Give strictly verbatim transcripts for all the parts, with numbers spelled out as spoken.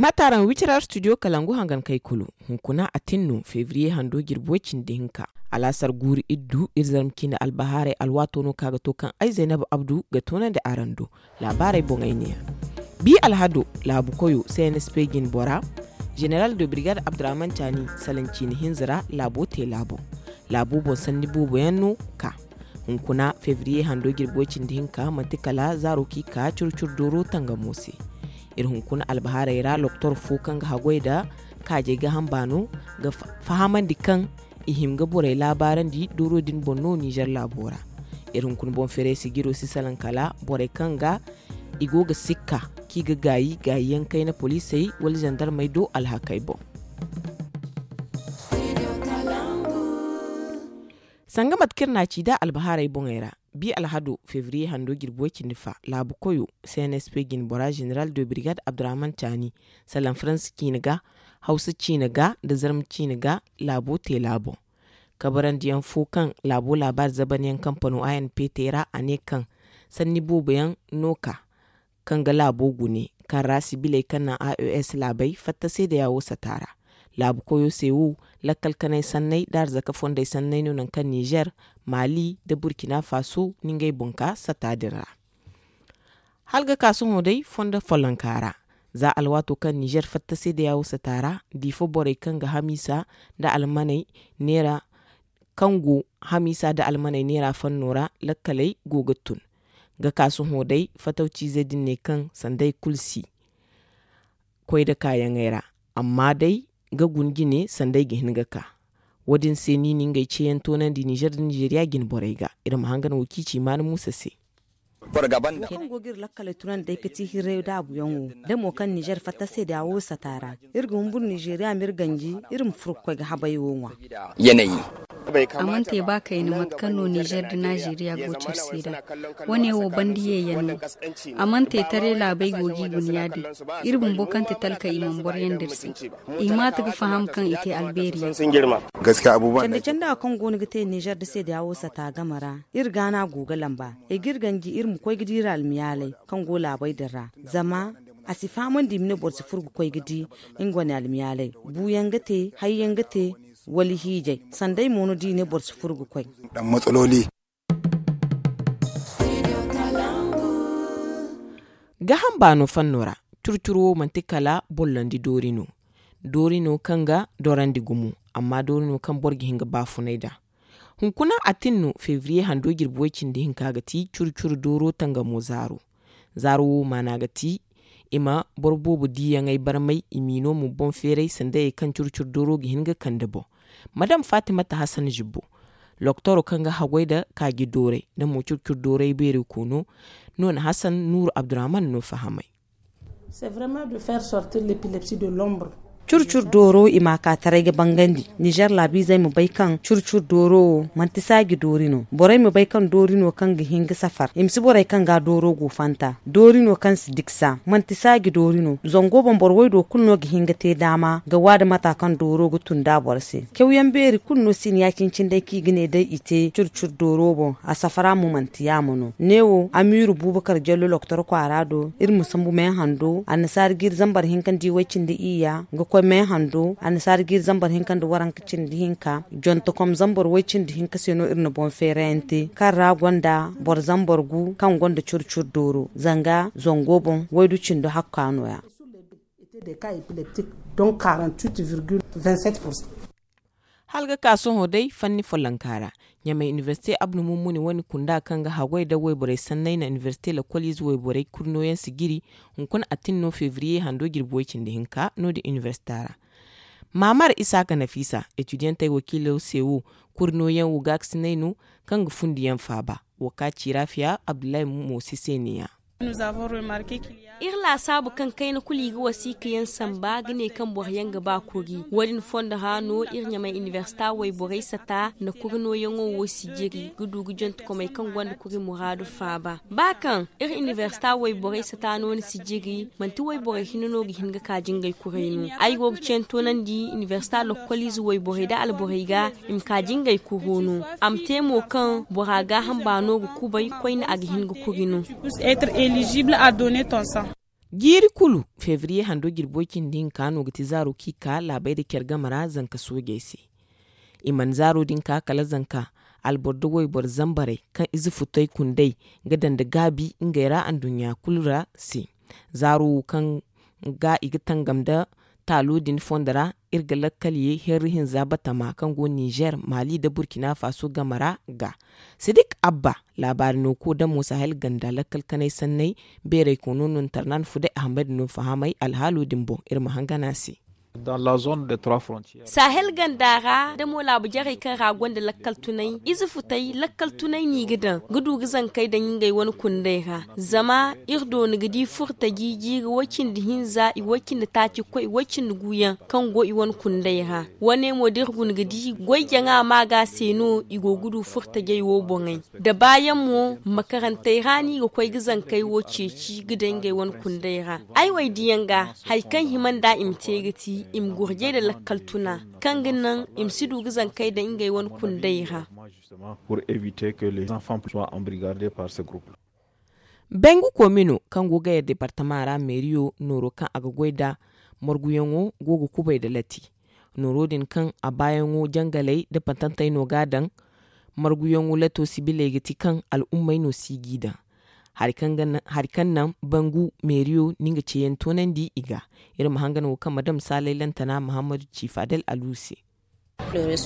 Maataaraŋ wicira studio kalangu hangan kay kulu. Hunkuna a tin no febriye hando jirbi way cindi hinka. Alaasar guuru iddu iri zarma ciine albahaarey alwaato no kaŋ a ga to kaŋ ay zaynab abdu ga toonandi araŋ do. Laabaarey boŋey neeya. Bi alhado laabu koyo cnsp jine bora, jeneral de birigad abdurahman caani salaŋ ciine hinza ra laabo te laabo. Laabo boŋ sanni boobo yaŋ no ka. Hunkuna febriye hando jirbi way cindi hinka manti kala zaaro kaŋ i ka curu curu dooro tangamo se. Iri hunkuna albahaarey ra loktor fo kaŋ ga haggoy nda kaajey ga hamba no ga fahamandi kaŋ i hin ga borey laabaarandi dooro din boŋ no nizer laabo ra. Iri hunkuna boŋ feeray sijiro si salaŋ kala borey kaŋ ga i go ga sikka kaŋ i ga gaayi gaayi yaŋ kayna poliisey wala zandarmey do alhakey boŋ. Sanga mate kaŋ iri n'a ci nd'a albahaarey boŋey ra, bi alhado febriye hando jirbi way cindi fa laabu koyo cnsp jine bora jeneral de birigad abdurahman caani salaŋ faransa ciine ga, hawsa ciine ga nda zarma ciine ga laabo te laabo. Kabarandiyaŋ fo kaŋ laabo laabaari zabanyaŋ kampano a n p te ra a ne kaŋ sanni boobo yaŋ no ka kaŋ ga laabo gune kaŋ ra sibiley kaŋ naŋ a e s laabey fatta seedayaawo sata ra. Laabu koyo se wo lakkal kanay sanney nda arzaka fondey sanney no nangu kaŋ nizer, maali nda burkina faso na ngey boŋ ka sata din ra. Hala ga ka sohõ day fondo follonka ra, za alwaato kaŋ nizer fatta seedayaawo sata ra, diifo borey kaŋ ga hamiisa nda almaney neera kaŋ go hamiisa nda almaney neera fanno ra lakkaley go ga tun. Ga ka sohõ day fatawciizey din ne kaŋ sanday kulu si koy nda kaayaŋey ra, amma day ga guna jine sanday ga hin ga ka. Wo-din se no i na ngey ceeyaŋ toonandi nizer nda nizeriya jine borey ga. Iri ma hangan wo kaŋ i ci maana muusa se. Kaŋ go ga iri lakkaley tunandi day ga ti hirray daabuyaŋo da mo kaŋ nizer fatta se da wo sata ra. Iri ga humburu nizeriya ma iri ganji iri ma furo ga koy ga habay wo ŋwa. A mana te ba kayna mate kaŋ no nizer nda nizeriya go care se nd'a. Wane wo banda yeeyaŋ no. A mana te taray laabey go ga i guna ya-din. Iri bumbo kaŋ ti talkey i mana boro yaŋ da iri se. I hima ta ga faham kaŋ i te albeeri yaŋ. Candi candi wo kaŋ go no ga te nizer nda se da wo sata game ra, iri gaana go ga lamba. Ay ga iri ganji iri ma koy ga di iri almiyaaley kaŋ go laabey din ra. Zama a si fahamandi i ma ne boro si furo ga koy ga di nga wane almiyaaley. Buuyaŋ ga te, hayyaŋ ga te, wala hiijay. Sanday mo no da i ne boro si furo ga koy. Gaham baano fanno ra, curu curu wo manti kala bollandi doori no. Doori no kaŋ ga dorandi gumo, amma doori no kaŋ boro ga hin ga baafunay nd'a. Hunkuna a tin no febriye hando jirbi way cindi hinka ga ti curu curu dooro tangamo zaaro. Zaaro wo maana ga ti i ma boro boobo diiyaŋey barmay i m'i no ma boŋ feeray sanda ye kaŋ curu curu dooro ga hin ga kande boŋ. Madam fatimata hasan zibbo, loktoro kaŋ ga haggoy nda kaaji dooray nda mo curu curu dooray beeri koono no na hasan nuuru abdurahman no fahamay. Curu curu dooro i ma a ka taray ga bangandi nizer laabiizey ma bay kaŋ curu curu dooro wo manti saaji doori no borey ma bay kaŋ doori no kaŋ ga hin ga safar i ma si borey kaŋ ga dooro go fanta doori no kaŋ si diksa manti saaji doori no zango boŋ boro waydo kulu no ga hin ga te daama ga waada mata kaŋ dooro ga tun da boro se. Cawyaŋ beeri kulu no si ni ya-cine-cine day kaŋ i ga ne day i te curu curu dooro boŋ a safara mo manti yaamo no neewo amiiru buubakar jallo loktor kwaara do iri ma sambu meehando annasaara jiiri zambar hinka nda iway cindi iyya ga koy meehando annasaara jiiri zambar hinka nda waranka cindi hinka jontokom zambar way cindi hinka se no iri na boŋ feerayaŋ te kaŋ ra gonda boro zambar gu kaŋ gonda curu curu dooro zanga zango boŋ waydu cindo hakka nooya. Hala ga ka sohõ day fanni follonka ra ɲamay inibersite abdu mummuni wane kunda kaŋ ga haggoy nda wayborey sanney na inibersite lakkoliize wayborey kurnooyaŋ si jiri. Hunkuna a tin no febriye hando jirbi way cindi hinka no- din inibersita ra. Maamar isaaka nafiisa etidiyantey wakiilo se wo kurnooyaŋ wo gaakasinay no kaŋ ga fundiyaŋ faaba. Wo ka ci raafiya abdullahi mo si se ne- ya. Iri laasaabu kaŋ kayna kulu i ga wasiika yaŋ samba ga ne kaŋ boro yaŋ ga ba kuri wo- din fondo ra no iri ɲamay inibersita wayborey sata nda kuri nooyaŋo wo si jiri ga du ga jontokomey kaŋ gonda kuri muraadu faaba ba kaŋ iri inibersita wayborey sata no ni si jiri manti wayborey hinne no ga hin ga kaaji ngey kuray no ay go ga ceentoonandi inibersita lokkoliize wayborey nda alborey ga i ma kaaji ngey kuro no a ma te mo kaŋ bora gaaham baano ga kubay koyne a ga hin ga kuri no. Jiiri kulu, febriye hando jirbo cindi hinka no ga ti zaaro kaŋ i ka laabey nda care game ra zanka soojey se. I mana zaaro din ka kala zanka alboro nda wayboro zambarey kaŋ ize futey kundey ga daŋ nda gaabi ngey ra anduɲɲa kulu ra se. Zaaro wo kaŋ ga i ga tangam nda taalo din fondo ra, iri ga lakkal ye herri hinza batama kaŋ go ninzeer, maali nda burkina faso game ra ga. Sidik abba, laabaari no ko damo sahel ganda lakkal kanay sanney, beeray koono no ntarnan fuday ahmed no fahamay alhaalo din boŋ. Iri ma hangan a se. Sahel ganda ra damo laabu jarey kaŋ ra gonda lakkal tunay, ize futay lakkal tunay no i ga daŋ ga du ga zankey daŋ ngey wane kunday ra. Zama iri doona ga di furtaji jiiri woy cindi hinza i woy cindi taaci koy woy cindi guuyaŋ kaŋ go i wane kunday ra. Wane mo da iri guna ga di goy jaŋa ma ga se no i go ga du furtajey wo boŋey. Da baayaŋ mo, makarantey ra no i ga koy ga zankey wo ceeci ga daŋ ngey wane kunday ra. Ay wo ay diyaŋ ga, hari kaŋ hima nda i ma te ga ti i ma gurjay nda lakkal tuna kaŋ ga naŋ i ma si du ga zankey daŋ ngey wane kunday ra. Bengu komino kaŋ go ga yar departama ra meeriyo nooro kaŋ a ga goy nda marguyaŋo go ga kubay nda lati. Nooro din kaŋ a baayaŋo jangaley nda patantey no ga a daŋ. Marguyaŋo lato sibiley ga ti kaŋ al'ummey no si g'i daŋ. Hari kaŋ naŋ bangu meeriyo no nga ceeyaŋ toonandi i ga. Iri ma hangan wo kaŋ madam saalay lantana mahammadu ci fadel alu se. Noori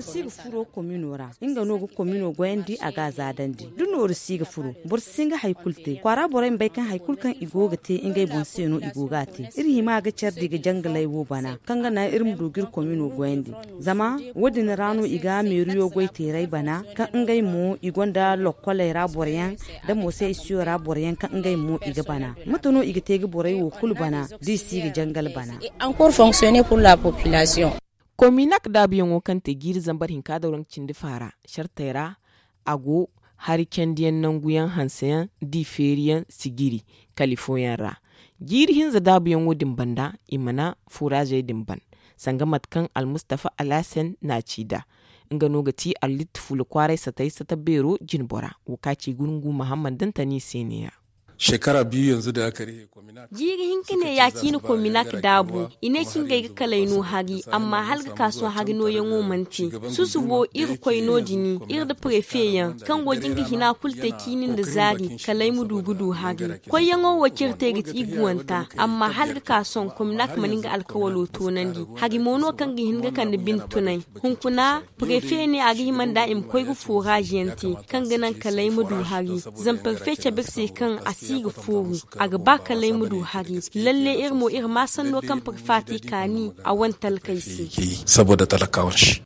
si ga furo komino ra nga no ga komino goyandi a ga a zaadandi da noori si ga furo. Boro si hin ga hari kulu te kwaara borey ma bay kaŋ hari kulu kaŋ i go ga te ngey boŋ se no i go ga a te. Iri hima ga care di ga jangaley wo bana kaŋ ga naŋ iri ma du ga iri komino goyandi. Zama wo- din ra no i ga meeriyo goy teeray bana kaŋ ngey mo i gonda lokkoley ra boroyaŋ da moosey isiyo ra boroyaŋ kaŋ ngey mo i ga bana. Mate no i ga te ga borey wo kulu bana da i si ga jangal bana. Kominak daabuyaŋo kaŋ te jiiri zambar hinka da waranka cindi faara sartey ra, a go hari candiyaŋ nanguyaŋ hanseyaŋ da i feeriyaŋ sijiri kali fooyaŋ ra. Jiiri hinza daabuyaŋo din banda i mana furaazey din ban sanga mate kaŋ almustafa alhasen n'a ci nd'a. Nga no ga ti arlit fuula kwaaray satay sata beero jinbora wo kaŋ a ci gurungu mahammad dantani se neeya. Shekara biyu yanzu da aka rihe. Jiiri hinka ne ya ciine kominak daabu i ne cingey ga kalay no hari amma hala ga ka sohõ hari nooyaŋo mana te. Susubo iri koy no- din iri nda prefe yaŋ kaŋ go ga nga hina kulu te ciini nda zaari kala ay ma du ga du hari. Koyyaŋo wo cire te ga ti iguwanta amma hala ga ka sohõ kominak mana nga alkawalo toonandi. Hari mo no kaŋ ga hin ga kande bine tunay. Hunkuna prefe ne a ga hima nd'a i ma koy ga fooraaz yaŋ te kaŋ ga naŋ kala ay ma du hari. Zama prefe cabe ga se kaŋ a si ga fooru a ga ba kala ay ma du hari. Lalle iri mo iri ma sanno kaŋ prefe a te kaani a wane talkey se. Saboda talakawan shi.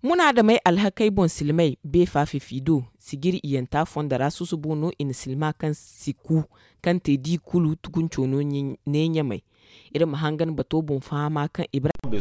Munaadamey alhakey boŋ silmey beefa fifi do sijiri iyanta fondo ra susubo no i na silma kaŋ si ku kaŋ te di kulu tugunco no ne ɲamey. Iri ma hangan bato boŋ fahama kaŋ ibrahim.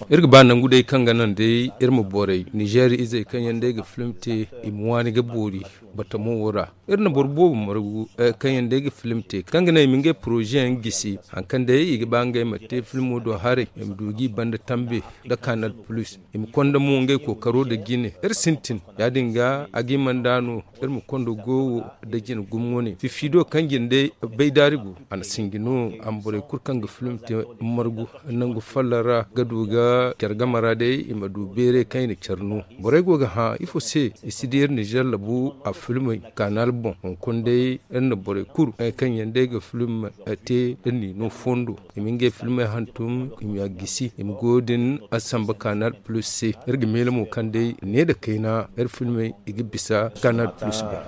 Iri ga ba nangu day kaŋ ga naŋ day iri ma borey nizeer izey kaŋ yaŋ day ga film te i ma waani ga boori batamo wo ra. Iri na boro boobo margu kaŋ yaŋ day ga film te kaŋ ga naŋ i ma ngey poroze yaŋ gisi hari kaŋ day i ga ba ngey ma te filmo do haray i ma du g'i banda tambe nda kanal plus. I ma konda mo ngey kookaro nda jine iri sintin. Ya- din ga a ga i mana nd'a no iri ma kondo gowo nda jine gumo wane fifido kaŋ jine day bay daari go a na sinji no a ma borey kulu kaŋ ga film te margu nangu follo ra ga du ga care game ra day i ma du beeray kaŋ i na care no. Borey go ga hã ifo se i si di iri nizeer labu a filmey kanal boŋ hunkuna day iri na borey kulu kaŋ yaŋ day ga film te iri n'i no fondo i ma ngey filmey hantum i ma gisi i ma goyo din a samba kanal plus se. Iri ga meele mo kaŋ day ne nda kayna iri filmey i ga bisa kanal plus boŋ.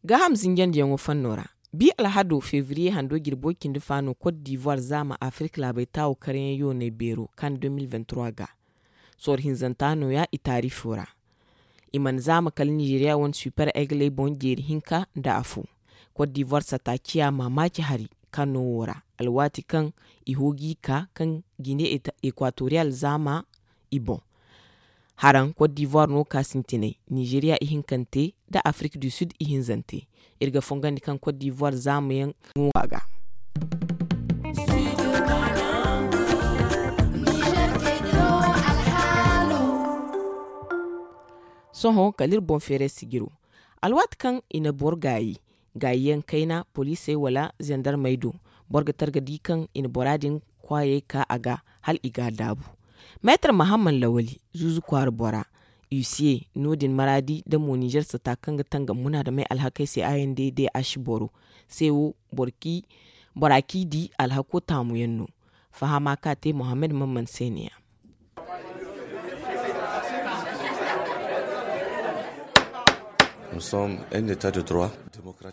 Gaaham zinjandiyaŋo fanno ra. Bi alhado febriye hando jirbo cindi fa no kot divoir zaama afirka laabey taawo karyaŋ yooney beero kan deux mille vingt trois ga. Sooro hinzanta nooya i taarifo ra. I mana zaama kala nizeeriya wane super egley boŋ jeeri hinka nda afo. Kot divoir sata ciya maamaaci hari kaŋ no wo ra alwaati kaŋ i hooji ka kaŋ jine ekwatoriyal zaama i boŋ. Haraŋ kot divoir no ka sintinay nizeeriya ihinkante nda afrik du sud ihinzante. Iri ga fongandi kaŋ kot divoir zaamayaŋ ŋo a ga. Sohõ kala iri boŋ feeray sijiro, alwaati kaŋ i na boro gaayi, gaayiyaŋ kayna poliisey wala zandarmey do, boro ga targa di kaŋ i na bora din kwaayey ka a ga, hala i ga a daabu. Meetar mahamman lawali, zuuzu kwaara bora, huissier no- din maraadi nda mo ninzeer sata kaŋ ga tangam munaadamey alhakey se a n d d h boro se wo, bora k'i di alhako taamuyaŋ no. Fahama ka te mohammed mamman se ne- ya.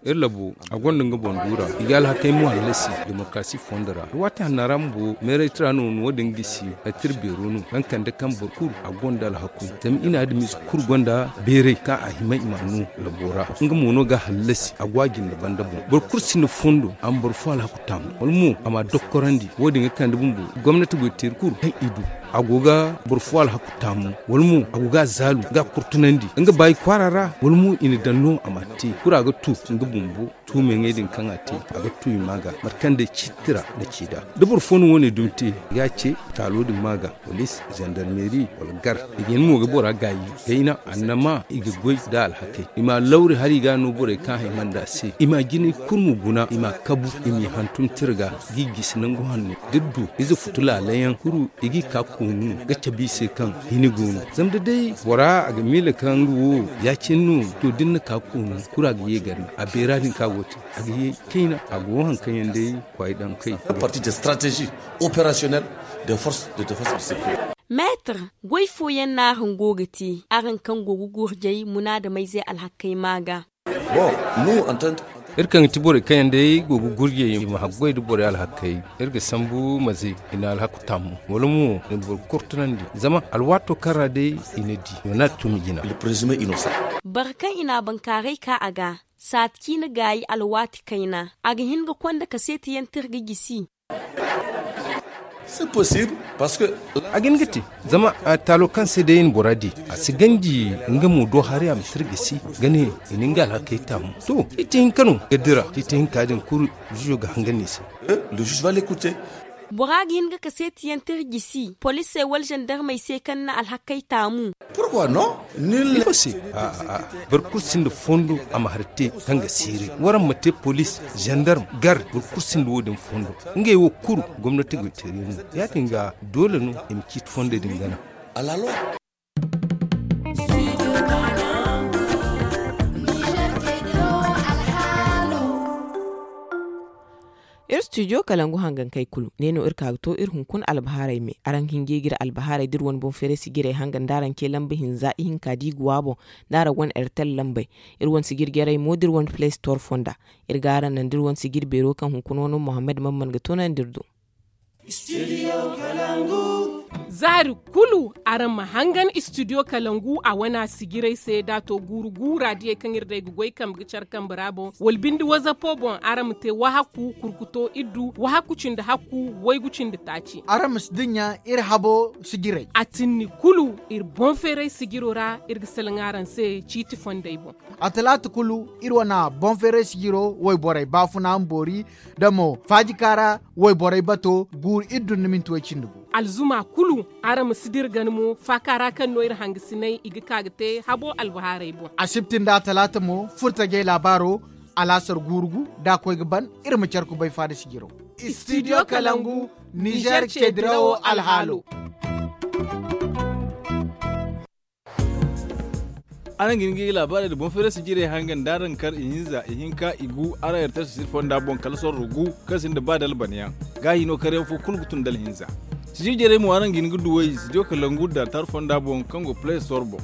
Iri labo, a gonda nga boŋ duura. I ga alhakey mo hallasi demokarasi fondo ra. Waati hanna ra bumbo meeraytira no wo- din gisi. Hattira beero no kaŋ kande kaŋ boro kulu a gonda alhaku. Zama i na adamize kulu gonda beeray kaŋ a hima i ma no labo ra. Nga mo no ga hallasi a go a jinde banda boŋ. Boro kulu sinda fondo a ma boro fo alhaku taamu wala mo a ma a dokkorandi. Wo- din ga kande bumbo gomnati goy teeri kulu kaŋ i du a go ga boro fo alhaku taamu wala mo a go ga a zaalu ga a kurtunandi nga baayi kwaara ra. Wala mo i na daŋ no a ma a te kulu a ga tu nga bumbo. Tuumeŋey din kaŋ a te a ga tu i ma ga mate kaŋ day ciiti ra na ci nd'a. Da boro fo na wo- ne dumi te i ga a ce taalo din ma ga, poliis, zandarmeeri, wala gar. I ga hin mo ga bora gaayi kayna annama i ga goy nda alhakey i ma a lawri hala i ga a no borey kaŋ haymandi a se i ma a jinay kulu ma guna i ma a kabu i m'i hantum tira ga. G'i gisi nangu hanno da iri du ize futu laalayaŋ kulu i g'i ka koonu no ga cabe i se kaŋ hini go no. Zama da day bora a ga miila kaŋ nga wo ya- cine no to da ni na ka koonu kulu a ga ye gar ni a beera din kaŋ a go ga te a ga ye kayna a go wo hari kaŋ yaŋ day kwaay daŋ kay. Parti de stratégie opérationnelle des forces de défense du secteur. Meetar, goy fooyaŋ no araŋ go ga te araŋ kaŋ go ga gurjay munaadamayze alhakey ma ga? Iri kaŋ ga ti borey kaŋ yaŋ day go ga gurjay i ma haggoy nda borey alhakey. Iri ga sambu maze i na alhaku taamu wala mo i na boro kurtunandi zama alwaato kaŋ ra day i na di i mana a tumi jina. Boro kaŋ i na a bankaaray ka a ga saati ciine gaayi alwaati kayna a ga hin ga konda kaseeti yaŋ tira ga gisi. A ga hin ga te zama taalo kaŋ se day i na bora di a si ganji nga mo do hari a ma tira gisi ga ne i na nga alhakey taamu. To ciiti hinka no ga dira ciiti hinka din kulu juujo ga hangan i se. Bora ga hin ga kaseeti yaŋ tira gisi poliisey wala zandarmey se kaŋ na alhakey taamu. Ifo se? Boro kulu sinda fondo a ma hari te kaŋ ga siiri waraŋ ma te poliis, zandarm, gar boro kulu sinda wo- din fondo. Ngey wo kulu gomnati goy teeri no. Ya- din ga doole no i ma ciiti fondey din gana. Iri studio kalangu hangankey kulu ne no iri ka ga to iri hunkuna albahaarey me. Araŋ ga hin ga ye ga iri albahaarey da iri wane boŋ feeray sijirey hanga nda araŋ ce lamba hinza ihinka da i ga wa boŋ, nda araŋ wane airtel lambey. Iri wane sijir jarey mo da iri wane play store fonda. Iri ga araŋ naŋ da iri wane sijir beero kaŋ hunkuna wano mohammed mamman ga toonandi iri do. Za hari kulu araŋ ma hangan studio kalangu a wana sijirey se da a to guuru guura diyey kaŋ iri day ga goy kambe ga care kambe ra boŋ wala binde wazapo boŋ araŋ ma te wahaku kurkuto iddu wahaku cindi hakku waygu cindi taaci. Araŋ ma si dinya iri habo sijirey a tinni kulu. Iri boŋ feeray sijiro ra iri ga salaŋ araŋ se ciiti fondey boŋ. A talaata kulu iri wane boŋ feeray sijiro wayborey baafuna ma boori da mo faajika ra wayborey bato guuru iddu nda minti way cindi gu. Alzuma kulu araŋ ma si dira gana mo faaka ra kaŋ no iri hangasiney i ga ka ga te habo albahaarey boŋ. Asibti nda talaata mo furtajey laabaaro alaasar guuru gu da a koy ga ban. Iri ma care kubay faada sijiro. Studio kalangu nizer ce dirawo alhaalo. Araŋ ga hin ga i laabaarey nda boŋ feeray sijirey hangan da araŋ kar ihinza ihinka igu araŋ airtel sijir fonda boŋ kala sorro gu kaŋ sinda ba da albanyaŋ. Gaahi no karyaŋ fo kulu ga tun da alhinza. Sijir jarey mo araŋ ga hin ga duw'ey studio kalangu da tar fonda boŋ kaŋ go play store boŋ.